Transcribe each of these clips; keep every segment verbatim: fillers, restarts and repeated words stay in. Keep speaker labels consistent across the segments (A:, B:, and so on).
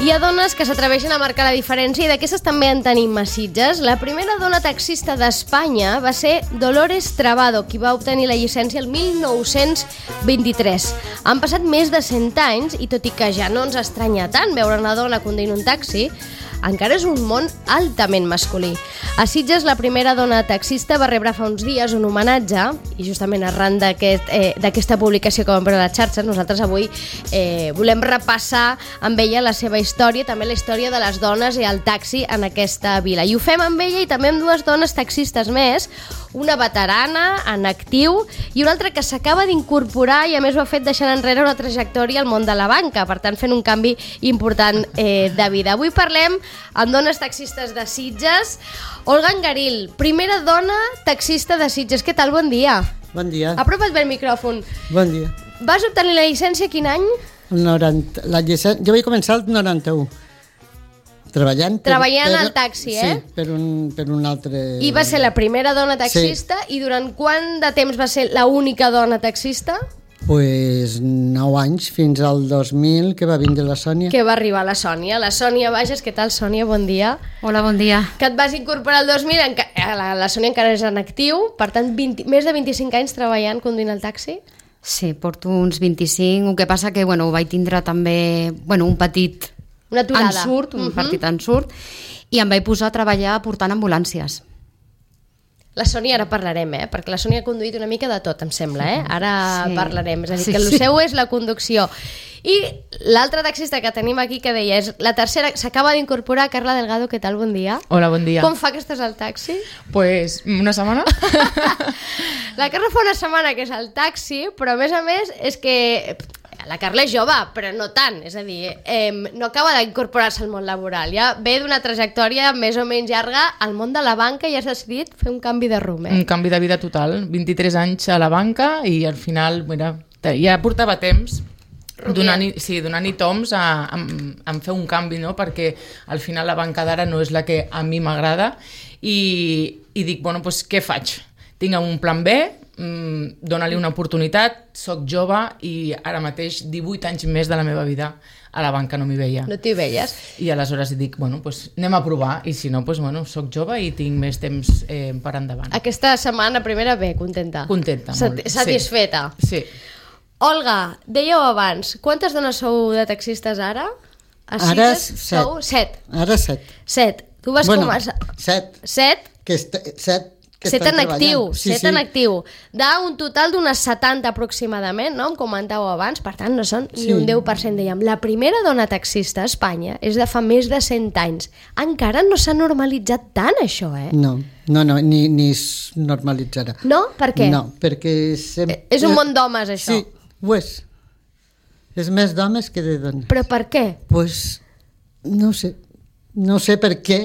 A: Hi ha dones que s'atreveixen a marcar la diferència i d'aquestes també en tenim a Sitges. La primera dona taxista d'Espanya va ser Dolores Trabado, qui va obtenir la llicència el mil nou-cents vint-i-tres. Han passat més de cent anys i tot i que ja no ens estranya tant veure una dona conduint un taxi, encara és un món altament masculí. A Sitges, la primera dona taxista va rebre fa uns dies un homenatge i justament arran d'aquest, eh, d'aquesta publicació que vam veure a les xarxes, nosaltres avui eh, volem repassar amb ella la seva història, també la història de les dones i el taxi en aquesta vila. I ho fem amb ella i també amb dues dones taxistes més, una veterana, en actiu, i una altra que s'acaba d'incorporar i a més ho ha fet deixant enrere una trajectòria al món de la banca, per tant fent un canvi important eh, de vida. Avui parlem amb dones taxistes de Sitges. Olga Angaril, primera dona taxista de Sitges. Què tal? Bon dia.
B: Bon dia.
A: Apropa't bé el micròfon.
B: Bon dia.
A: Vas obtenir la llicència quin any?
B: El noranta, la llicència, jo vaig començar el noranta-u. Treballant, per,
A: Treballant
B: per,
A: al taxi, eh?
B: Sí, per un, per un altre...
A: I va ser la primera dona taxista, sí. I durant quant de temps va ser l'única dona taxista?
B: Pues nou anys, fins al dos mil, que va vindre la Sònia.
A: Que va arribar la Sònia. La Sònia Bages, què tal, Sònia? Bon dia.
C: Hola, bon dia.
A: Que et vas incorporar el dos mil, enca... la, la Sònia encara és en actiu, per tant, vint, més de vint-i-cinc anys treballant, conduint el taxi?
C: Sí, porto uns vint-i-cinc, el que passa que, bueno, vaig tindre també, bueno, un petit...
A: Una aturada.
C: Ensurt, un
A: uh-huh.
C: petit ensurt, i em vaig posar a treballar portant ambulàncies.
A: La Sònia ara parlarem, eh? Perquè la Sònia ha conduït una mica de tot, em sembla, eh? Ara sí. Parlarem, és a dir,
C: sí,
A: que el
C: sí.
A: seu és la conducció. I l'altra taxista que tenim aquí que deia és la tercera, s'acaba d'incorporar, Carla Delgado, què tal? Bon dia.
D: Hola, bon dia.
A: Com fa que estàs al taxi?
D: Pues una setmana.
A: La Carla fa una setmana que és al taxi, però a més a més és que... La Carla és jove, però no tant, és a dir, eh, no acaba d'incorporar-se al món laboral, ja ve d'una trajectòria més o menys llarga al món de la banca i has decidit fer un canvi de rumb, eh?
D: Un canvi de vida total, vint-i-tres anys a la banca i al final, mira, ja portava temps donant-hi sí, donant toms a, a, a fer un canvi, no? Perquè al final la banca d'ara no és la que a mi m'agrada i, i dic, bueno, doncs què faig? Tinc un plan B, Mm, dona-li una oportunitat, soc jove i ara mateix divuit anys més de la meva vida a la banca no m'hi veia.
A: No t'hi veies?
D: I aleshores dic, bueno, pues anem a provar i si no, pues, bueno, soc jove i tinc més temps eh, per endavant.
A: Aquesta setmana primera bé, contenta?
D: Contenta,
A: Sat-
D: molt.
A: Satisfeta?
D: Sí.
A: Olga, dèieu abans, quantes dones sou de taxistes ara? A
B: Ara
A: Sitges
B: set.
A: Sou set.
B: Ara set.
A: Set. Tu vas
B: bueno,
A: començar...
B: set.
A: Set?
B: Que est... Set. Que
A: Set
B: estan
A: en actiu,
B: sí,
A: set
B: sí.
A: en actiu. D'un total d'unes setanta aproximadament, no? Em comentàveu abans, per tant no són sí. ni un deu per cent, dèiem. La primera dona taxista a Espanya és de fa més de cent anys. Encara no s'ha normalitzat tant això, eh?
B: No, no, no ni, ni es normalitzarà.
A: No? Per què?
B: No, perquè... Sem...
A: És un món d'homes, això.
B: Sí, ho és. És més d'homes que de dones.
A: Però per què?
B: Pues, no sé. No sé per què,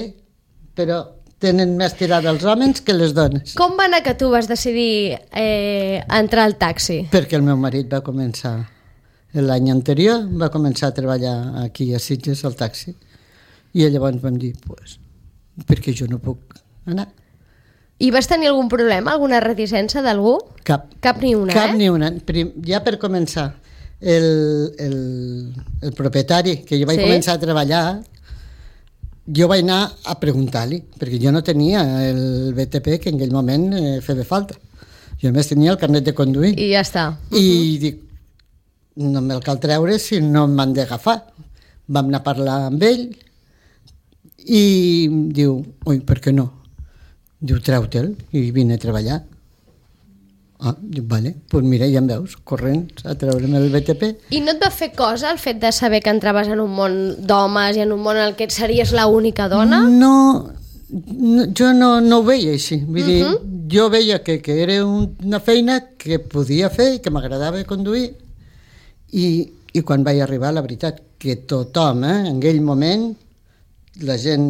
B: però... tenen més tirada els homes que les dones.
A: Com va anar que tu vas decidir eh, entrar al taxi?
B: Perquè el meu marit va començar l'any anterior, va començar a treballar aquí a Sitges al taxi i llavors vam dir, pues, perquè jo no puc anar.
A: I vas tenir algun problema, alguna reticència d'algú?
B: Cap.
A: Cap ni una,
B: Cap
A: eh?
B: ni una. Prim, ja per començar, el, el, el propietari, que jo vaig
A: sí?
B: començar a treballar, jo vaig anar a preguntar-li, perquè jo no tenia el B T P que en aquell moment eh, feia falta. Jo només tenia el carnet de conduir.
A: I ja està.
B: I uh-huh. dic, no me'l cal treure si no m'han d'agafar. Vam anar a parlar amb ell i diu, ui, per què no? Diu, treu-te'l i vine a treballar. Ah, dic, vale, doncs pues mira, ja em veus, corrents a treure'm el B T P.
A: I no et va fer cosa el fet de saber que entraves en un món d'homes i en un món en el que series l'única dona?
B: No, no jo no, no ho veia així. Vull dir, uh-huh. jo veia que, que era un, una feina que podia fer i que m'agradava conduir i, i quan vaig arribar, la veritat, que tothom, eh, en aquell moment, la gent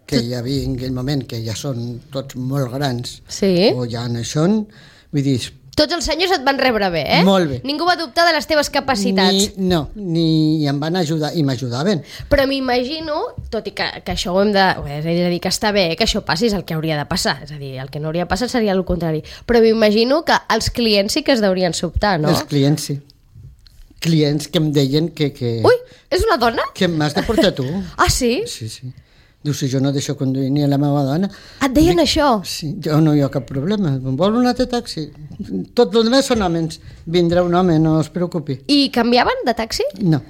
B: que hi havia en aquell moment, que ja són tots molt grans,
A: sí?
B: o ja no són, vull dir...
A: Tots els senyors et van rebre bé, eh?
B: Molt bé.
A: Ningú va dubtar de les teves capacitats.
B: Ni, no, ni em van ajudar, i m'ajudaven.
A: Però m'imagino, tot i que, que això ho hem de... És a dir, que està bé, que això passi és el que hauria de passar. És a dir, el que no hauria de passar seria el contrari. Però m'imagino que els clients sí que es deurien sobtar, no?
B: Els clients sí. clients que em deien que... que
A: Ui, és una dona?
B: que m'has de portar tu.
A: Ah, sí?
B: Sí, sí. Diu, si jo no deixo conduir ni a la meva dona...
A: Et deien
B: Dic,
A: això?
B: Sí, jo no hi ha cap problema. Vol un altre taxi? Tot el demés són homes. Vindrà un home, no es preocupi.
A: I canviaven de taxi?
B: No.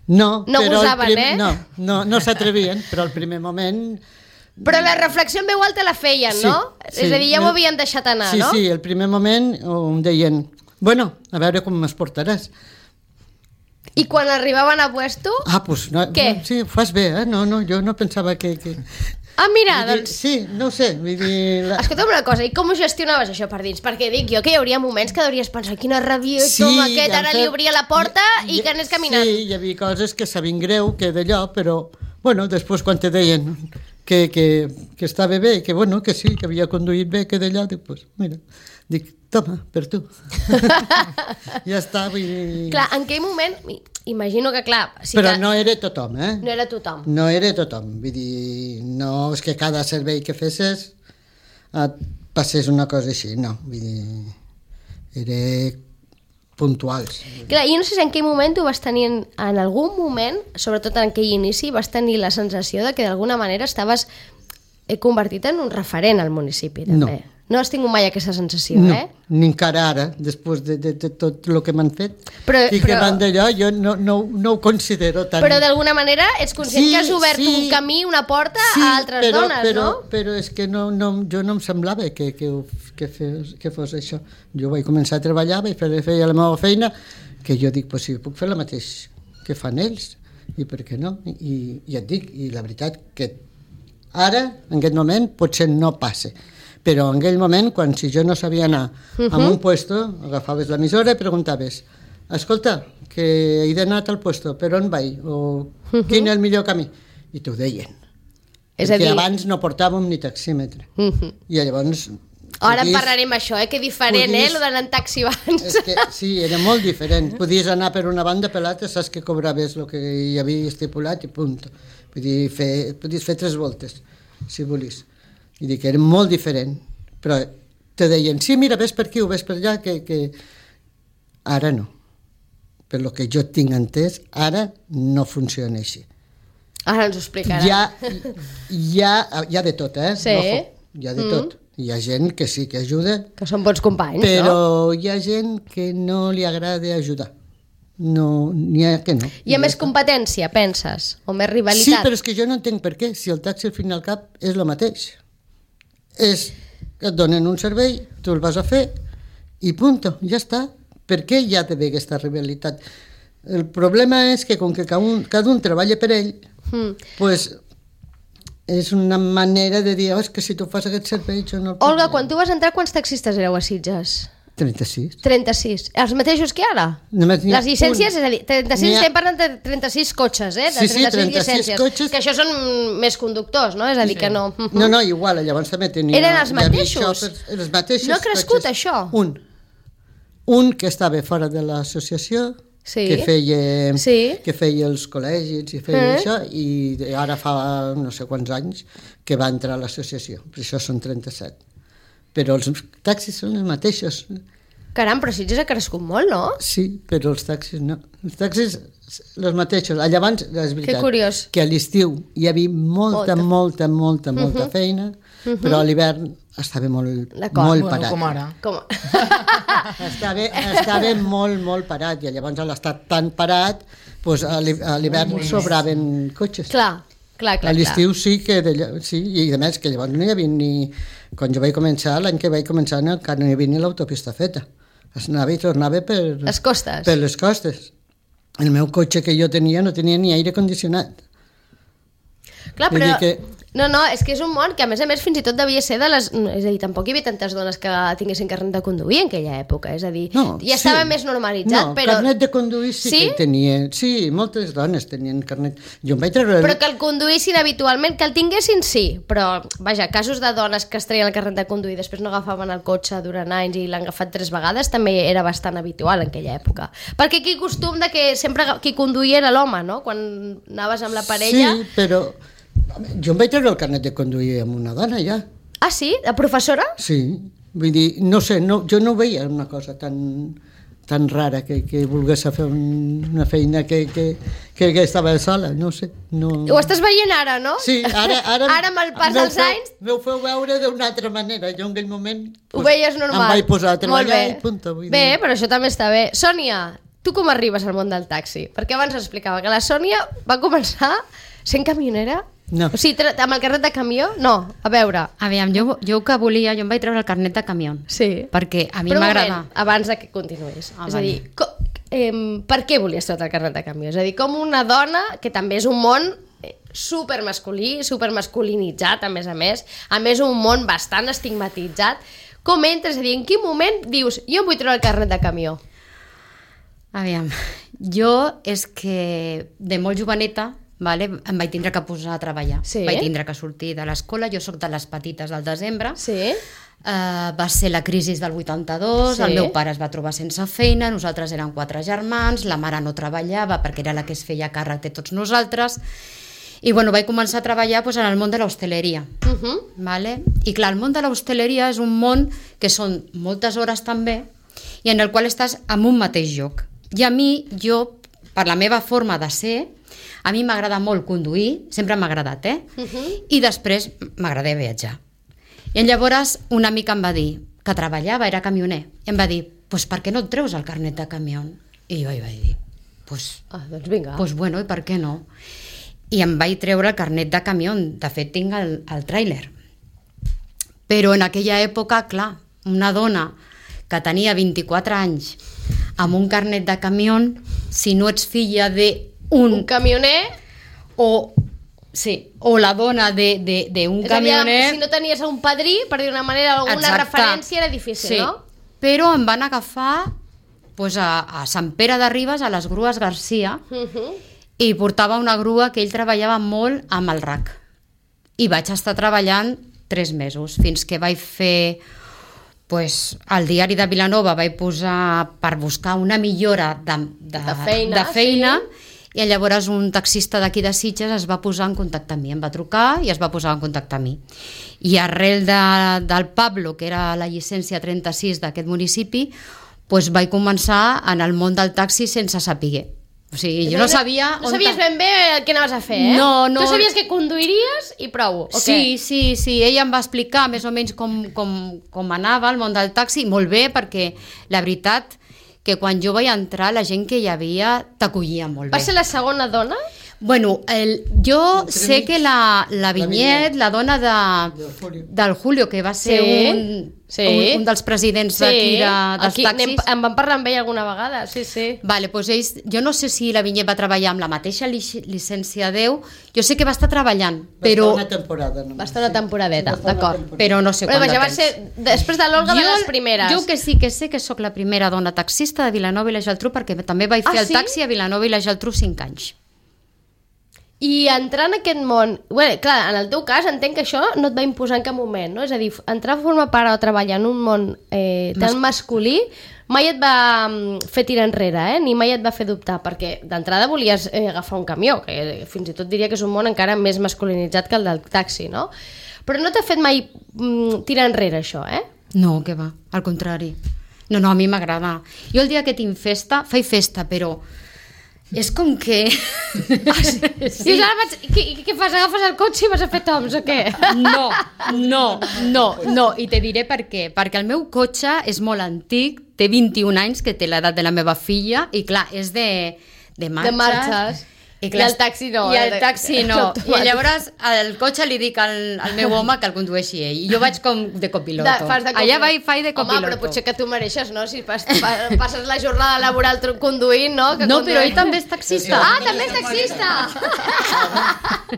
B: No,
A: No
B: però el
A: gosaven, eh?
B: No, no, no s'atrevien, però al primer moment...
A: Però la reflexió en veu alta la feien,
B: Sí,
A: no?
B: sí.
A: És a dir, ja ho havien deixat anar,
B: sí,
A: no?
B: Sí, sí, el primer moment em deien, bueno, a veure com m'es portaràs.
A: I quan arribaven a puesto...
B: Ah, doncs, no,
A: Què?
B: no, sí, fas bé, eh? No, no, jo no pensava que... que...
A: Ah, mira,
B: Vull dir,
A: doncs...
B: sí, no ho sé, vull dir... La...
A: Escolta'm una cosa, i com ho gestionaves això per dins? Perquè dic jo que hi hauria moments que hauries pensat quina rabió,
B: Sí,
A: com aquest,
B: ja
A: ara
B: em
A: li
B: fe-
A: obria la porta i,
B: Ja-
A: que anés caminant.
B: Sí, hi havia coses que sabien greu, que d'allò, però, bueno, després quan te deien que, que, que estava bé, que bueno, que sí, que havia conduït bé, que d'allò, dic, pues, mira, dic, toma, per tu. Ja està, vull dir...
A: Clar, en aquell moment, imagino que clar... Sí
B: però
A: que
B: no era tothom, eh?
A: no era tothom.
B: No era tothom, vull dir, no és que cada servei que fessis et passés una cosa així, no, vull dir, era puntuals.
A: Clar, jo no sé si en aquell moment tu vas tenir, en, en algun moment, sobretot en aquell inici, vas tenir la sensació de que d'alguna manera estaves eh, convertit en un referent al municipi, també.
B: No.
A: No has tingut mai aquesta sensació,
B: No,
A: eh?
B: ni encara ara, després de, de, de tot el que m'han fet,
A: Però-
B: i que
A: però-
B: van d'allò, jo no, no, no ho considero tant.
A: Però d'alguna manera ets conscient
B: Sí,
A: que has obert
B: sí.
A: un camí, una porta
B: Sí,
A: a altres
B: però,
A: dones,
B: però,
A: no?
B: Però és que no, no, jo no em semblava que, que, ho- que, fes, que fos això. Jo vaig començar a treballar, vaig fer, feia la meva feina, que jo dic, pues, sí, puc fer el mateix que fan ells, i per què no? I, i et dic, i la veritat que ara, en aquest moment, potser no passa. Però en aquell moment, quan si jo no sabia anar uh -huh. a un puesto, agafaves l'emissora i preguntaves, escolta, que he d'anar a tal puesto, per on vaig? O uh -huh. quin és el millor camí? I t'ho deien.
A: És a
B: Perquè
A: dir-
B: abans no portàvem ni taxímetre.
A: Uh -huh.
B: I llavors...
A: Ara en
B: podies-
A: parlarem això, eh? Que diferent,
B: podies-
A: eh? Lo d'anar en taxi abans.
B: És que sí, era molt diferent. Podies anar per una banda, per l'altra, saps que cobraves el que hi havia estipulat i punt. Vull dir, fer, podies fer tres voltes, si volies. I dic que era molt diferent. Però te deien, sí, mira, ves per aquí o ves per allà, que, que... Ara no. Per lo que jo tinc entès, ara no funciona així.
A: Ara ens ho explicarà.
B: Hi ha, hi, ha, hi ha de tot, eh?
A: Sí.
B: Ojo, hi ha de tot. Hi ha gent que sí que ajuda,
A: Que són bons companys,
B: però
A: no?
B: hi ha gent que no li agrada ajudar. No, n'hi ha que no.
A: Hi ha
B: ja
A: més
B: està.
A: competència, penses? O més
B: Sí,
A: rivalitat?
B: però és que jo no entenc per què. Si el taxi al fin i al cap és el mateix. És que et donen un servei, tu el vas a fer i punto, ja està. Per què hi ha d'haver aquesta rivalitat? El problema és que com que cada un, cada un treballa per ell,
A: Mm.
B: pues, és una manera de dir, oh, és que si tu fas aquest servei jo no el puc
A: Olga,
B: fer."
A: quan tu vas entrar, quants taxistes éreu a Sitges?
B: trenta-sis.
A: trenta-sis. Els mateixos que ara?
B: Només n'hi ha
A: Les llicències,
B: un.
A: és a dir, trenta-sis,
B: N'hi ha-
A: estem parlant de trenta-sis cotxes, eh? De
B: Sí, sí,
A: trenta-sis
B: trenta-sis
A: llicències.
B: cotxes.
A: Que això són més conductors, no? És a dir, que no...
B: No, no, igual, llavors també tenia...
A: Eren els
B: hi havia
A: mateixos?
B: xòfers, els mateixos
A: No ha crescut,
B: cotxes.
A: això?
B: Un. Un que estava fora de l'associació,
A: Sí.
B: que feia,
A: Sí.
B: que feia els col·legis i feia
A: Eh?
B: això, i ara fa no sé quants anys que va entrar a l'associació, per això són trenta-set. Però els taxis són els mateixos.
A: Caram, però Sitges ha crescut molt, no?
B: Sí, però els taxis no. Els taxis, els mateixos. Allà abans, és veritat,
A: Que curiós.
B: que a l'estiu hi havia molta,
A: Molta.
B: molta, molta, molta, molta feina, però a l'hivern estava molt,
A: D'acord.
B: molt
D: Bueno,
B: parat.
D: com ara.
A: Com...
B: Estava, estava molt, molt parat, i llavors a l'estat tan parat, doncs a l'hi- a l'hivern sobraven cotxes.
A: clar, clar, clar.
B: A l'estiu sí que d'allò, sí, i a més que llavors no hi havia ni... Quan jo vaig començar, l'any que vaig començar, no, encara no hi havia ni l'autopista feta. Es anava i tornava per...
A: Les costes.
B: Per les costes. El meu cotxe que jo tenia no tenia ni aire condicionat.
A: Clar,
B: Vull
A: però...
B: dir que-
A: No, no, és que és un món que a més a més fins i tot devia ser de les... És a dir, tampoc hi havia tantes dones que tinguessin carnet de conduir en aquella època, és a dir,
B: No,
A: ja estava
B: sí.
A: més normalitzat,
B: no,
A: però...
B: carnet de conduir sí,
A: Sí?
B: que tenia. Sí, moltes dones tenien carnet. Jo em vaig treure...
A: Però que el conduïssin habitualment, que el tinguessin, sí, però, vaja, casos de dones que es treien el carnet de conduir i després no agafaven el cotxe durant anys i l'han agafat tres vegades també era bastant habitual en aquella època. Perquè aquí costum de que sempre qui conduïa era l'home, no? Quan anaves amb la parella...
B: Sí, però... Jo em vaig treure el carnet de conduir amb una dona, ja.
A: Ah, sí? De professora?
B: Sí, vull dir, no sé, no, jo no veia una cosa tan, tan rara que, que volgués fer un, una feina que, que, que, que estava sola, no sé. No...
A: Ho estàs veient ara, no?
B: Sí, ara... Ara,
A: ara amb el pas dels anys...
B: M'ho feu veure d'una altra manera. Jo en aquell moment...
A: Ho pues, veies normal.
B: Em vaig posar a treballar i punta. Vull
A: bé,
B: dir.
A: Però això també està bé. Sònia, tu com arribes al món del taxi? Perquè abans explicava que la Sònia va començar sent camionera.
B: No.
A: O sigui, amb el carnet de camió? No, a veure.
C: Aviam, jo, jo que volia, jo em vaig treure el carnet de camió.
A: Sí.
C: Perquè a mi
A: Però
C: m'agrada...
A: moment, abans de que continuïs.
C: Ah,
A: és a dir, co, eh, per què volies treure el carnet de camió? És a dir, com una dona, que també és un món supermasculí, supermasculinitzat, a més a més, a més un món bastant estigmatitzat, com entres? És a dir, en quin moment dius, jo em vull treure el carnet de camió?
C: Aviam, jo és que de molt joveneta, vale, em vaig tindre que posar a treballar.
A: Sí.
C: Vaig tindre que sortir de l'escola, jo sóc de les petites del desembre.
A: Sí.
C: Uh, va ser la crisi del vuitanta-dos,
A: Sí.
C: el meu pare es va trobar sense feina, nosaltres érem quatre germans, la mare no treballava perquè era la que es feia càrrec de tots nosaltres, i bueno, vaig començar a treballar pues, en el món de l'hostaleria.
A: Uh -huh.
C: Vale? I clar, el món de l'hostaleria és un món que són moltes hores també i en el qual estàs en un mateix lloc. I a mi, jo, per la meva forma de ser, a mi m'agrada molt conduir, sempre m'ha agradat, eh?
A: Uh -huh.
C: I després m'agrada viatjar. I llavors una mica em va dir que treballava, era camioner, i em va dir, pues, per què no et treus el carnet de camió? I jo hi vaig dir, pues,
A: Ah, doncs vinga.
C: pues bueno, i per què no? I em vaig treure el carnet de camió, de fet tinc el, el tràiler. Però en aquella època, clar, una dona que tenia vint-i-quatre anys amb un carnet de camió, si no ets filla de un,
A: un camioner...
C: o, sí, o la dona d'un camioner...
A: Si no tenies un padrí, per dir una manera, alguna
C: Exacte.
A: referència, era difícil,
C: sí.
A: no?
C: Però em van agafar pues, a, a Sant Pere de Ribes, a les grues Garcia,
A: Uh -huh.
C: i portava una grua que ell treballava molt amb el R A C. I vaig estar treballant tres mesos, fins que vaig fer... Pues, al diari de Vilanova vaig posar per buscar una millora de, de,
A: De feina,
C: de feina
A: sí.
C: I llavors un taxista d'aquí de Sitges es va posar en contacte amb mi, em va trucar i es va posar en contacte amb mi. I arrel de, del Pablo, que era la llicència trenta-sis d'aquest municipi, pues vaig començar en el món del taxi sense saber. O sigui, jo no sabia...
A: No sabies ben bé què anaves a fer, eh?
C: No, no.
A: Tu sabies que conduiries i prou, o
C: Sí,
A: què?
C: sí, sí, ella em va explicar més o menys com, com, com anava el món del taxi, molt bé, perquè la veritat que quan jo vaig entrar la gent que hi havia t'acollia molt bé.
A: Va ser la segona dona?
C: Bueno, el, jo sé que la, la Vinyet, la dona de,
B: Del Julio.
C: del Julio, que va ser
A: Sí,
C: un,
A: sí.
C: un, un dels presidents d'aquí de, dels
A: aquí
C: taxis.
A: anem, en vam parlar amb ell alguna vegada, sí, sí.
C: Vale, doncs ells, jo no sé si la Vinyet va treballar amb la mateixa lic llicència deu, jo sé que va estar treballant,
B: Va
C: però,
B: estar una temporada només.
A: Va estar una temporadeta,
B: Sí, va estar una
A: d'acord.
B: temporada.
C: però no sé
A: Però
C: quant de
A: vaja, va
C: temps.
A: ser després de l'Olga de
C: Jo-
A: les primeres.
C: Jo que sí que sé que sóc la primera dona taxista de Vilanova i la Geltrú, perquè també vaig fer
A: Ah,
C: el
A: sí?
C: taxi a Vilanova i la Geltrú cinc anys.
A: I entrar en aquest món... Bé, clar, en el teu cas entenc que això no et va imposar en cap moment, no? És a dir, entrar a formar part o treballar en un món eh, tan masculí mai et va mm, fer tirar enrere, eh? Ni mai et va fer dubtar, perquè d'entrada volies eh, agafar un camió, que fins i tot diria que és un món encara més masculinitzat que el del taxi, no? Però no t'ha fet mai mm, tirar enrere això, eh?
C: No, que va, al contrari. No, no, a mi m'agrada. Jo el dia que tinc festa, faig festa, però és com que...
A: Ah, sí. Dius, ara vaig... Què, què fas? Agafes el cotxe i vas a fer toms o què?
C: No, no, no, no, i te diré per què. Perquè el meu cotxe és molt antic, té vint-i-un anys, que té l'edat de la meva filla, i clar, és de, de marxes.
A: De marxes.
C: I,
A: I el taxi no,
C: I
A: eh?
C: el taxi no. I llavors al cotxe li dic al, al meu home que el condueixi ell. I jo vaig com de copiloto.
A: De, fas de
C: Allà vaig, faig de
A: Home,
C: copiloto.
A: però potser que tu mereixes, no? Si pas, pa, passes la jornada laboral tru- conduint, no? Que
C: No,
A: condueix-
C: però ell també és taxista.
A: Ah, també és taxista!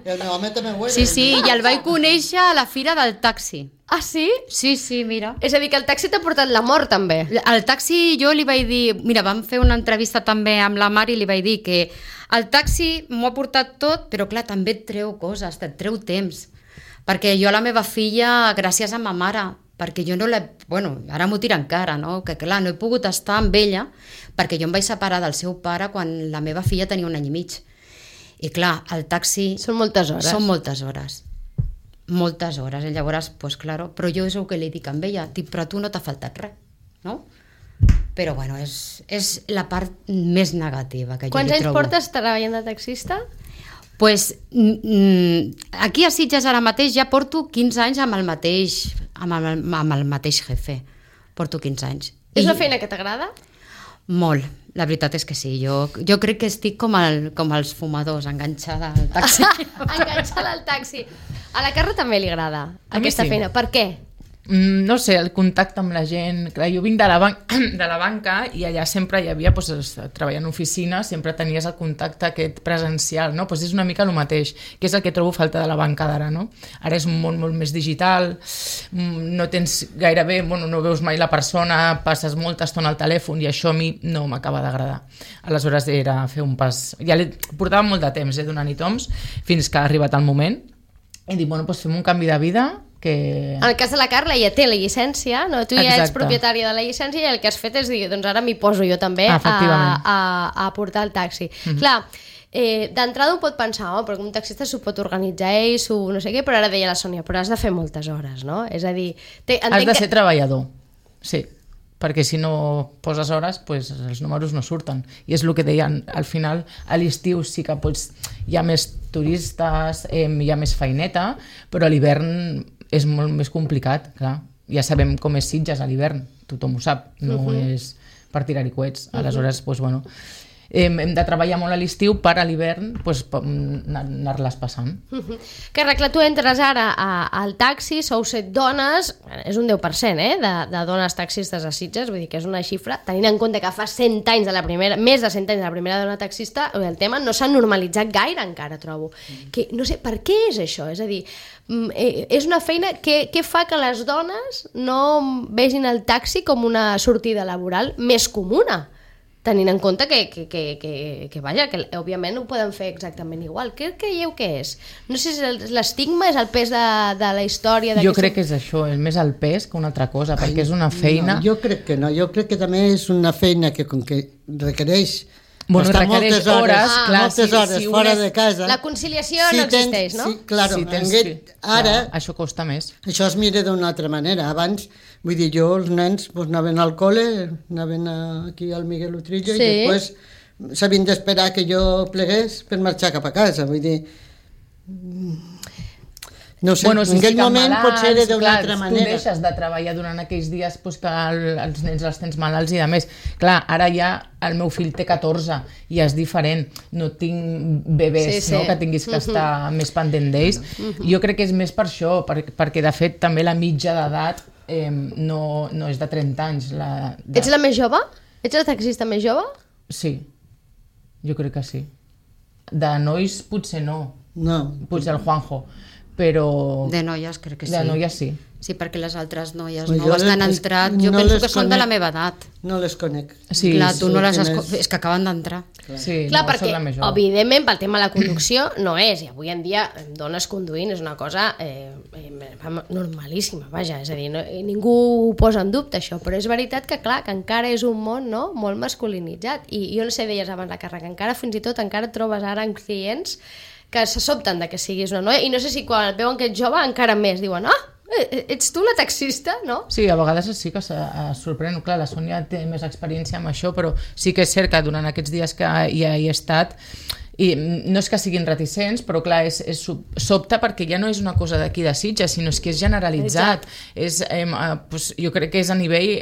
B: I el meu home també ho era.
C: Sí, sí, i el vaig conèixer a la fira del taxi.
A: Ah, sí?
C: Sí, sí, mira.
A: És a dir, que el taxi t'ha portat la mort, també.
C: El taxi jo li vaig dir... Mira, vam fer una entrevista també amb la Mari i li vaig dir que el taxi m'ho ha portat tot, però clar, també et treu coses, et treu temps. Perquè jo a la meva filla, gràcies a ma mare, perquè jo no l'he... Bueno, ara m'ho tira encara, no? Que clar, no he pogut estar amb ella perquè jo em vaig separar del seu pare quan la meva filla tenia un any i mig. I clar, el taxi...
A: Són moltes hores.
C: Són moltes hores. Moltes hores. I llavors, pues claro, però jo és el que li dic amb ella. Dic, però a tu no t'ha faltat res, no? però bueno, és, és la part més negativa que jo
A: Quants
C: li
A: anys
C: trobo.
A: portes treballant de taxista?
C: Pues, mm, aquí a Sitges ara mateix ja porto quinze anys amb el mateix, amb el, amb el mateix jefe. Porto quinze anys.
A: És
C: I
A: una feina que t'agrada?
C: molt, la veritat és que sí. Jo, jo crec que estic com, el, com els fumadors, enganxada al taxi.
A: Enganxada al taxi. A la Carla també li agrada
D: A mi
A: aquesta
D: sí.
A: feina. Per què?
D: Mm, no sé, el contacte amb la gent. Clar, jo vinc de la, ban de la banca i allà sempre hi havia, doncs, treballant en oficina, sempre tenies el contacte aquest presencial, no? Pues és una mica el mateix, que és el que trobo falta de la banca d'ara, no? Ara és un món molt més digital, no tens gairebé, bueno, no veus mai la persona, passes molta estona al telèfon i això a mi no m'acaba d'agradar. Aleshores era fer un pas... Ja li portava molt de temps, eh, donant-hi toms, fins que ha arribat el moment i dic, bueno, doncs fem un canvi de vida que...
A: En el cas de la Carla ja té la llicència, no? Tu ja
D: Exacte.
A: ets propietària de la llicència i el que has fet és dir, doncs ara m'hi poso jo també a,
D: Efectivament.
A: a, a portar el taxi. Mm-hmm. Clar, eh, d'entrada un pot pensar, oh, perquè un taxista s'ho pot organitzar ell, s'ho no sé què, però ara deia la Sònia, però has de fer moltes hores, no? És a dir... Te,
D: Has de ser
A: que...
D: treballador, sí, perquè si no poses hores, pues, els números no surten. I és el que deien, al final, a l'estiu sí que pots, hi ha més turistes, eh, hi ha més feineta, però a l'hivern és molt més complicat, clar. Ja sabem com és Sitges a l'hivern, tothom ho sap, no uh-huh. és per tirar-hi coets. Aleshores, uh-huh. pues, bueno, hem, hem de treballar molt a l'estiu per a l'hivern pues, anar-les passant.
A: Uh-huh. Que clar, tu entres ara a, al taxi, sou set dones, és un deu per cent eh, de, de dones taxistes a Sitges, vull dir que és una xifra, tenint en compte que fa cent anys de la primera, més de cent anys de la primera dona taxista, el tema no s'ha normalitzat gaire encara, trobo. Mm. Que, no sé, per què és això? És a dir, és una feina que, que fa que les dones no vegin el taxi com una sortida laboral més comuna, tenint en compte que, que, que, que, que, vaja, que òbviament ho poden fer exactament igual. Què creieu que és? No sé si l'estigma és el pes de, de la història...
D: Jo crec que és això, és més el pes que una altra cosa, Ai, perquè és una feina...
B: No, jo crec que no, jo crec que també és una feina que com que requereix...
D: Bueno, requereix
B: moltes hores,
D: hores,
B: ah,
D: clar,
B: moltes
D: si,
B: hores
D: si
B: fora
D: és...
B: de casa.
A: La conciliació
B: si
A: no
B: tens,
A: existeix, no?
B: Sí, claro,
D: si tens
B: aquest,
D: que...
B: ara...
D: Clar, això costa més.
B: Això es mira d'una altra manera. Abans, vull dir, jo, els nens pues, anaven al col·le, anaven a, aquí al Miguel Utrillo, sí. I després s'havien d'esperar que jo plegués per marxar cap a casa. Vull dir... No sé,
D: bueno, si
B: en aquell moment
D: malalts,
B: potser era d'una altra manera.
D: Tu deixes de treballar durant aquells dies pues, que el, els nens els tens malalts i de més. Clar, ara ja el meu fill té catorze i és diferent. No tinc bebès, sí, sí. No, que tinguis que estar uh-huh. més pendent d'ells. Uh-huh. Jo crec que és més per això, per, perquè de fet també la mitja d'edat eh, no, no és de trenta anys. La, de...
A: Ets la més jove? Ets la taxista més jove?
D: Sí, jo crec que sí. De nois potser no.
B: No.
D: Potser el Juanjo. Però...
C: De noies crec que sí.
D: De noies sí.
C: Sí, perquè les altres noies
B: pues
C: noves que han entrat, jo no penso que són de la meva edat.
B: No les conec.
D: Sí,
C: clar, tu no les has...
B: més...
C: És que acaben d'entrar.
D: Sí,
A: clar,
D: no,
A: perquè, evidentment, pel tema de la conducció no és, i avui en dia dones conduint és una cosa eh, normalíssima, vaja, és a dir, no, ningú ho posa en dubte això, però és veritat que, clar, que encara és un món, no?, molt masculinitzat, i jo no sé, deies abans la Carla, que encara fins i tot encara et trobes ara en clients que se sobten de que siguis una noia, i no sé si quan et veuen que ets jove encara més diuen, ah, ets tu la taxista, no?
D: Sí, a vegades sí que es sorprèn. Clar, la Sònia té més experiència amb això, però sí que és cert que durant aquests dies que ja hi he estat, i no és que siguin reticents, però clar, és, és sobte perquè ja no és una cosa d'aquí de Sitges, sinó és que és generalitzat. És, eh, pues, jo crec que és a nivell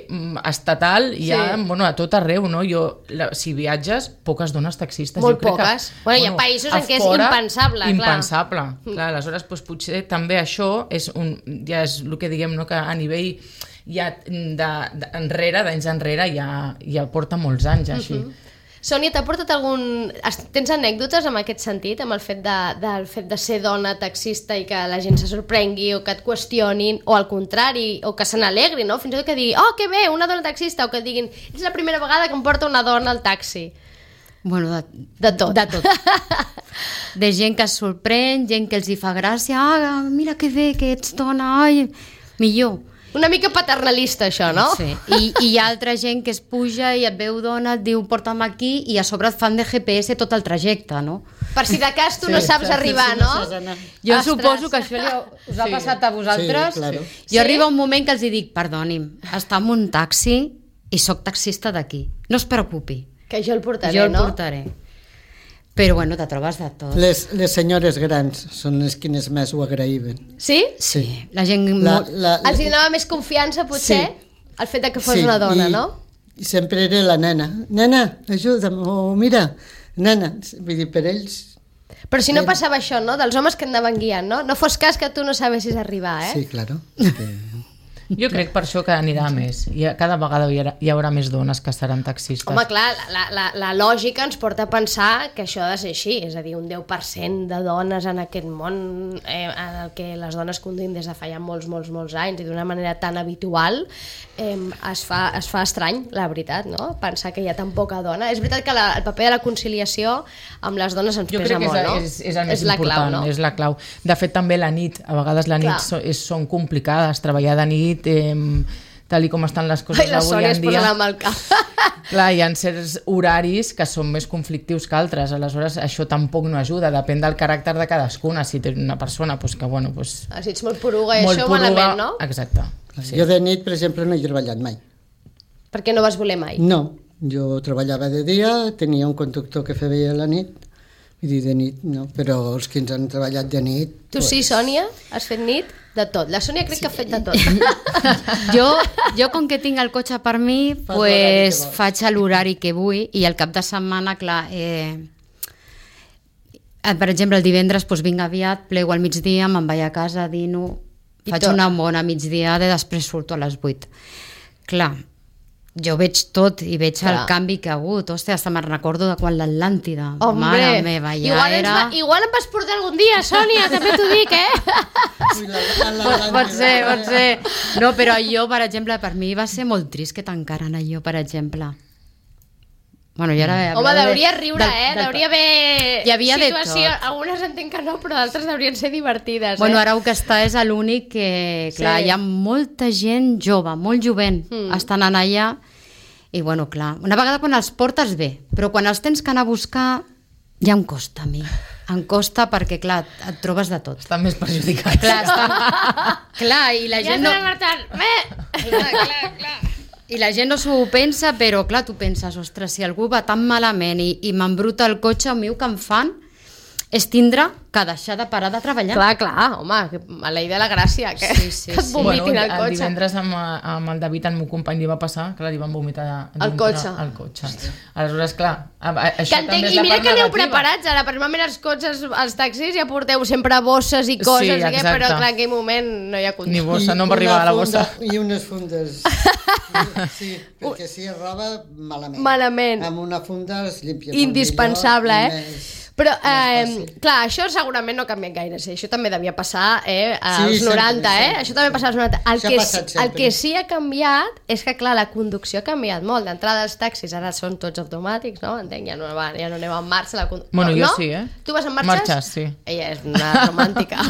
D: estatal, sí. Ja, bueno, a tot arreu, no? Jo, la, si viatges, poques dones taxistes.
A: Molt
D: jo crec
A: poques.
D: Que,
A: bueno, hi ha països en què és impensable.
D: Impensable.
A: Clar,
D: clar aleshores, pues, potser també això és un, ja és el que diguem, no? Que a nivell ja d'enrere, d'anys enrere, ja, ja porta molts anys així. Uh-huh.
A: Sònia, t'ha portat algun... Tens anècdotes en aquest sentit, amb el fet de, del fet de ser dona taxista i que la gent se sorprengui o que et qüestionin, o al contrari, o que se n'alegri, no? Fins i tot que digui, oh, que bé, una dona taxista, o que diguin, és la primera vegada que em porta una dona al taxi.
C: Bueno, de,
A: de tot.
C: De tot. De gent que es sorprèn, gent que els hi fa gràcia, ah, mira que bé que ets dona, ai, millor.
A: Una mica paternalista, això, no?
C: Sí, I, i hi ha altra gent que es puja i et veu dona, et diu porta'm aquí i a sobre et fan de G P S tot el trajecte, no?
A: Per si de cas tu sí, no saps sí, arribar,
B: sí,
A: no?
B: no
C: jo Ostres. Suposo que això li ha, us ha sí. passat a vosaltres.
B: Sí, claro.
C: Jo sí? Arriba un moment que els hi dic, perdoni'm, està en un taxi i sóc taxista d'aquí. No es preocupi.
A: Que jo el portaré,
C: jo el
A: no?
C: portaré. Però bueno, te trobes de tot.
B: Les, les senyores grans són les quines més ho agraïven.
A: Sí?
C: Sí, la gent...
B: La,
C: molt...
B: la,
A: Els hi donava més confiança, potser,
B: Sí.
A: el fet de que fos
B: sí,
A: una dona,
B: i,
A: no?
B: I sempre era la nena. Nena, ajuda'm, o mira, nena. Vull dir, per ells...
A: Però si no passava això, no? Dels homes que anaven guiant, no? No fos cas que tu no sabessis arribar, eh?
B: Sí, claro. Que...
D: Jo crec per això que anirà més. I cada vegada hi haurà, hi haurà més dones que seran taxistes.
A: Home, clar, la, la, la lògica ens porta a pensar que això ha de ser així, és a dir, un deu per cent de dones en aquest món eh, en el que les dones conduïm des de fa ja molts, molts, molts anys i d'una manera tan habitual, eh, es, fa, es fa estrany, la veritat, no? Pensar que hi ha tan poca dona. És veritat que la, el paper de la conciliació amb les dones ens
D: Jo
A: pesa
D: crec que és,
A: molt, no?
D: és, és el més
A: és la
D: important,
A: clau, no?
D: és la clau. De fet, també la nit, a vegades la nit
A: Clar.
D: so, és, són complicades, treballar de nit, eh, tal i com estan les coses
A: Ai, la
D: avui
A: Sònia
D: en
A: es
D: dia.
A: posa la mà al cap.
D: Clar, hi ha certs horaris que són més conflictius que altres, aleshores això tampoc no ajuda, depèn del caràcter de cadascuna. Si té una persona pues, que, bueno, pues,
A: Ah, si ets molt poruga i
D: molt
A: això,
D: poruga,
A: malament, no?
D: Exacte.
B: Sí. Jo de nit, per exemple, no he treballat mai.
A: Perquè no vas voler mai.
B: No, jo treballava de dia, tenia un conductor que feia la nit, vull dir, de nit no, però els que ens han treballat de nit...
A: Tu sí, Sònia? Has fet nit? De tot. La Sònia crec sí. que ha fet de tot.
C: Jo, jo com que tinc el cotxe per mi,
B: Fas
C: pues,
B: l'horari que vols.
C: faig l'horari que vull i el cap de setmana, clar, eh, eh, per exemple, el divendres pues, vinc aviat, plego al migdia, me'n vaig a casa, dino,
A: I
C: faig
A: tot.
C: una bona migdiada i després surto a les vuit. Clar, jo veig tot i veig
A: Clar.
C: el canvi que ha hagut. Hòstia, hasta me'n recordo de quan l'Atlàntida.
A: Hombre,
C: Mare meva, ja
A: igual, ens
C: era...
A: va, igual em vas portar algun dia, Sònia, també t'ho dic, eh?
B: Ui, la, la, la,
C: Pot, pot ser, pot ser. No, però allò, per exemple, per mi va ser molt trist que tancaren allò, per exemple. Bueno, jo ara...
A: Home, hauria de riure,
C: del-
A: eh?
C: del-
A: Hauria haver
C: Hi havia de
A: situació.
C: tot.
A: Algunes entenc que no, però d'altres haurien ser divertides,
C: Bueno,
A: eh?
C: ara el que està és l'únic que, clar,
A: Sí.
C: hi ha molta gent jove, molt jovent,
A: Mm.
C: estan anant allà, i bueno, clar, una vegada quan els portes bé, però quan els tens que anar a buscar, ja em costa a mi. Em costa perquè, clar, et trobes de tot.
D: Estan més perjudicats.
C: Clar, estan... clar, i la
A: Ja
C: gent no...
A: estem marxant. Bé!
C: Clar, clar, clar. I la gent no s'ho pensa, però clar, tu penses, ostres, si algú va tan malament i, i m'embruta el cotxe, el meu que em fan és tindre que deixar de parar de treballar.
A: Clar, clar, home, que a la idea de la gràcia, que,
C: Sí, sí,
A: que et
C: sí.
A: vomitin
D: Bueno,
A: al
D: el
A: cotxe.
D: divendres amb, amb el David, el meu company, li va passar que li van vomitar
A: Al
D: dintre
A: cotxe.
D: al cotxe. Aleshores, clar, a- a-
A: Que
D: això
A: entenc,
D: també és
A: I
D: la
A: mira
D: part
A: que aneu
D: negativa.
A: preparats ara, perquè normalment els cotxes, els taxis ja porteu sempre bosses i coses,
D: Sí,
A: i què,
D: exacte.
A: però clar, en aquell moment no hi ha
D: Ni
A: control.
D: bossa, no em va
B: una
D: arribar a la
B: funda-
D: bossa.
B: I unes fundes. Sí, perquè si es roba, malament.
A: Malament.
B: Amb una funda es limpia.
A: Indispensable,
B: molt
A: eh?
B: millor i més-
A: Però,
B: més
A: eh,
B: fàcil.
A: clar, això segurament no ha canviat gaire, sí. Això també devia passar eh, als
B: Sí, sempre,
A: noranta, eh?
B: sempre.
A: Això també passa als noranta. El
B: Això ha
A: que,
B: passat
A: el
B: sempre.
A: que sí ha canviat és que, clar, la conducció ha canviat molt. D'entrada els taxis ara són tots automàtics, no? Entenc, ja no, va, ja no aneu en marxa. La condu...
D: Bueno,
A: no?
D: jo sí, eh?
A: Tu vas en marxes?
D: Marxes, sí.
A: Ella és una romàntica.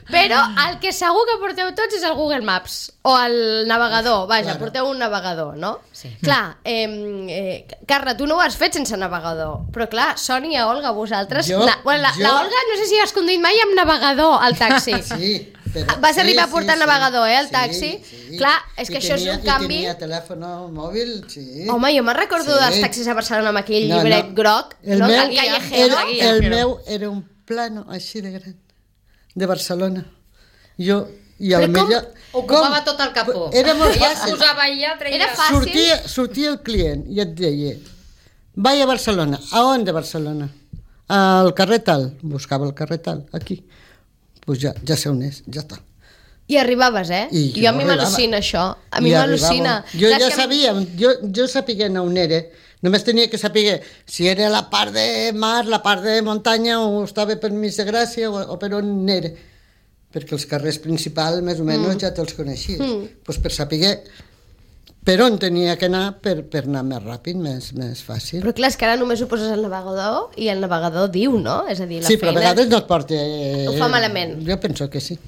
A: Però el que segur que porteu tots és el Google Maps o el navegador, vaja,
B: Claro.
A: porteu un navegador, no?
C: Sí.
A: Clar, eh, eh, Carla, tu no ho has fet sense navegador, però clar, Sònia, Olga, vosaltres...
B: Jo-
A: na, bueno, la,
B: jo-
A: la Olga no sé si has conduït mai amb navegador al taxi.
B: Sí, però...
A: Vas
B: sí,
A: arribar a
B: sí,
A: portar
B: sí.
A: navegador, eh, al
B: Sí,
A: taxi?
B: sí.
A: Clar, és
B: I
A: que això és
B: tenia-
A: un canvi...
B: I tenia telèfon mòbil, sí.
A: Home, jo me'n recordo
B: Sí.
A: dels taxis a Barcelona amb aquell
B: No,
A: llibret
B: no.
A: groc,
B: El
A: no?
B: meu,
A: El callejero.
B: era,
D: guia,
B: el
D: però-
B: meu era un plano així de gran, de Barcelona. Jo, i a
A: Però
B: la
A: com
B: millor...
C: Ocupava
B: com?
C: tot el capó.
B: Era molt
C: Ella
B: fàcil.
C: posava allà, treia...
A: Era fàcil.
B: Sortia, sortia el client i et deia, vaig a Barcelona. A on de Barcelona? Al carrer tal. Buscava el carrer tal, aquí. Pues ja, ja sé on és, ja està.
A: I arribaves, eh?
B: I
A: jo
B: jo
A: a mi
B: arribava.
A: m'al·lucina això. A mi
B: I
A: m'al·lucina.
B: arribava. Jo
A: Clar, és
B: ja
A: que a mi-
B: sabia, jo, jo sabia on era. Només tenia que saber si era la part de mar, la part de muntanya, o estava per Mig de Gràcia, o, o per on era. Perquè els carrers principals, més o menys, mm. ja te'ls coneixies. Mm. Pues per saber per on tenia que anar per, per anar més ràpid, més, més fàcil.
A: Però clar, és que ara només ho poses al navegador i el navegador diu, no? És a dir, la
B: sí, però a
A: feina...
B: vegades no et porta... Eh,
A: Ho fa malament.
B: Jo penso que sí.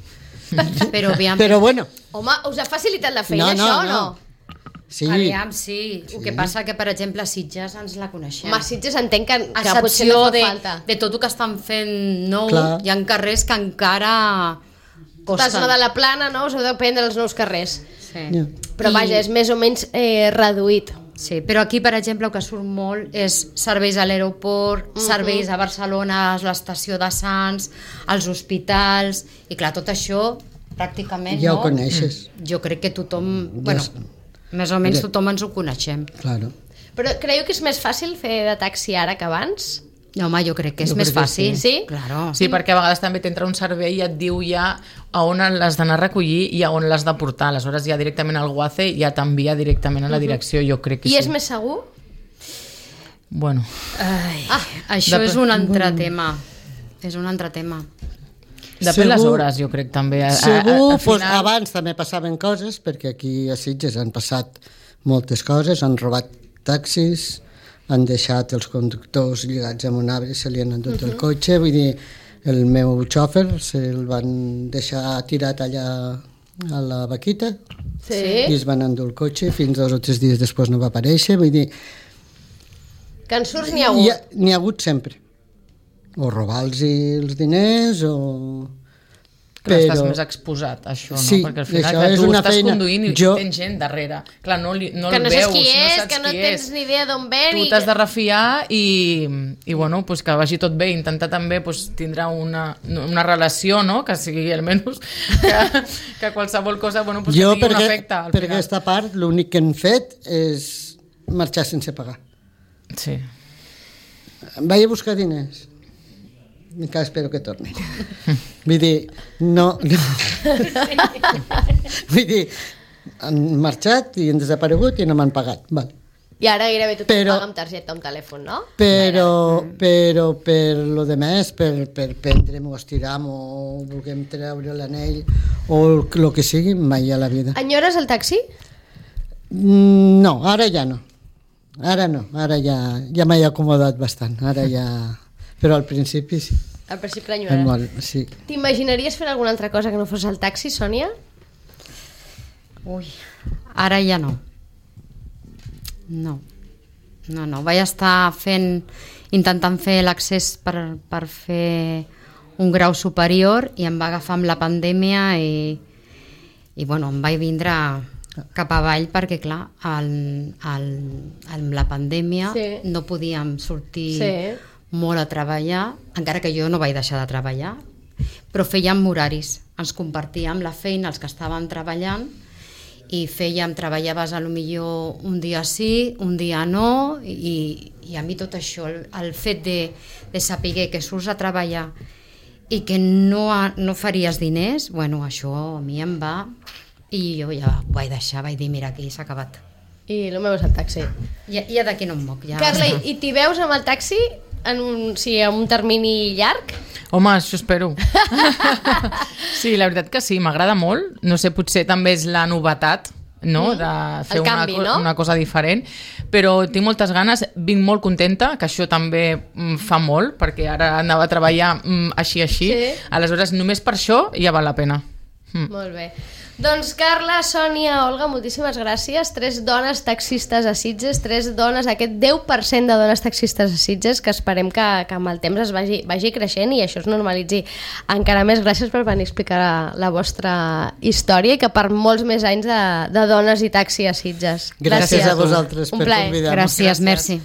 C: Però aviam,
B: Però bueno,
A: Home, us ha facilitat la feina,
B: No, no,
A: això, o no?
B: no? sí.
C: aviam, sí. El que passa que, per exemple, a Sitges ens la coneixem.
A: Home, Sitges entenc que,
C: A
A: que potser no
C: excepció
A: fa
C: de,
A: falta.
C: de tot el que estan fent nou,
B: Clar.
C: hi ha carrers que encara
A: Estàs
C: costen.
A: una de la plana, no? Us heu de prendre els nous carrers.
C: Sí.
B: Ja.
A: Però
C: I-
A: vaja, és més o menys eh, reduït.
C: Sí, però aquí, per exemple, el que surt molt és serveis a l'aeroport, uh -huh. serveis a Barcelona, a l'estació de Sants, als hospitals, i clar, tot això pràcticament,
B: Ja
C: no?
B: ho coneixes.
C: Jo crec que tothom,
B: Ja
C: bueno,
B: és-
C: més o menys
B: Ja.
C: tothom ens ho coneixem.
B: Claro.
A: Però creieu que és més fàcil fer de taxi ara que abans?
C: No, home, jo crec que és
B: Jo
C: més
B: crec que
C: fàcil.
A: sí. Sí?
C: Claro.
D: Sí, perquè a vegades també t'entra un servei i et diu ja a on l'has d'anar a recollir i a on l'has de portar. Aleshores ja directament al Guace ja t'envia directament a la direcció, jo crec que
A: I
D: sí.
A: és més segur?
D: Bueno,
C: Ai, ah, això
D: Dep-
C: és un altre tema. És un altre tema.
D: depèn les
B: Segur-
D: hores, jo crec, també. A, a,
B: Segur,
D: a, a
B: pues,
D: final...
B: abans també passaven coses, perquè aquí a Sitges han passat moltes coses, han robat taxis, han deixat els conductors lligats amb un arbre, se li han endut el cotxe, vull dir, el meu xòfer se'l van deixar tirat allà a la vaquita
A: Sí.
B: i es van endur el cotxe, fins dos o tres dies després no va aparèixer, vull dir,
A: Que en surts n'hi ha hagut.
B: hi ha- n'hi ha hagut sempre. O robar-los els diners, o...
D: Clar, estàs més exposat a això, no?
B: Sí,
D: Perquè al final
B: això
D: clar,
B: és
D: tu
B: una
D: estàs
B: feina.
D: conduint i
B: Jo-
D: tens gent darrere. Clar, no, li, no
A: Que
D: el
A: no
D: veus,
A: saps qui és,
D: no saps
A: que no
D: qui
A: tens
D: és.
A: ni idea d'on ve.
D: Tu
A: ni
D: t'has
A: que-
D: de refiar i, i bueno, pues que vagi tot bé, intentar també pues, tindrà una, una relació, no? Que sigui almenys que, que qualsevol cosa bueno, pues,
B: Jo,
D: que tingui
B: per,
D: un
B: aquest-
D: efecte al
B: per
D: final.
B: aquesta part, l'únic que hem fet és marxar sense pagar.
D: Sí.
B: Vaig a buscar diners. Encara espero que torni. Vull dir, no... no. Vull dir, han marxat i han desaparegut i no m'han pagat. Val.
A: I ara gairebé tothom
B: Però-
A: paga amb targeta o amb telèfon, no?
B: Però, però per lo de més, per, per prendre'm o estirar o vulguem treure l'anell o el, el que sigui, mai a la vida.
A: Enyores el taxi?
B: Mm, No, ara ja no. Ara no, ara ja, ja m'he acomodat bastant. Ara ja... Però al principi sí.
A: Al principi
B: Em
A: l'enyores.
B: Molt, sí.
A: T'imaginaries fer alguna altra cosa que no fos el taxi, Sònia?
C: Ui, ara ja no. No. No, no. Vaig estar fent, intentant fer l'accés per, per fer un grau superior i em va agafar amb la pandèmia i, i bueno, em vaig vindre cap avall perquè, clar, el, el, amb la pandèmia
A: Sí.
C: no podíem sortir
A: Sí.
C: molt a treballar, encara que jo no vaig deixar de treballar, però fèiem horaris, ens compartíem la feina els que estàvem treballant i fèiem, treballaves a lo millor un dia sí, un dia no, i, i a mi tot això, el, el fet de, de saber que surts a treballar i que no, ha- no faries diners, bueno, això a mi em va, i jo ja ho vaig deixar, vaig dir, mira, aquí s'ha acabat.
A: I el meu és el taxi.
C: Ja, ja d'aquí no em moc. Ja.
A: Carla, i t'hi veus amb el taxi en un, sí, en un termini llarg?
D: Home, això espero. Sí, la veritat que sí, m'agrada molt. No sé, potser també és la novetat, no? De fer
A: El canvi,
D: una, co-
A: no?
D: una cosa diferent, però tinc moltes ganes, vinc molt contenta, que això també mm, fa molt, perquè ara anava a treballar mm, així, així,
A: Sí.
D: aleshores només per això ja val la pena. Mm.
A: Molt bé. Doncs Carla, Sònia, Olga, moltíssimes gràcies. Tres dones taxistes a Sitges, tres dones, aquest deu per cent de dones taxistes a Sitges, que esperem que, que amb el temps es vagi, vagi creixent i això es normalitzi encara més. Gràcies per venir a explicar la, la vostra història i que per molts més anys de, de dones i taxi a Sitges.
B: Gràcies a vosaltres
A: Un
B: per
A: plaer.
B: convidar-nos.
C: Gràcies,
D: Gràcies.
C: merci.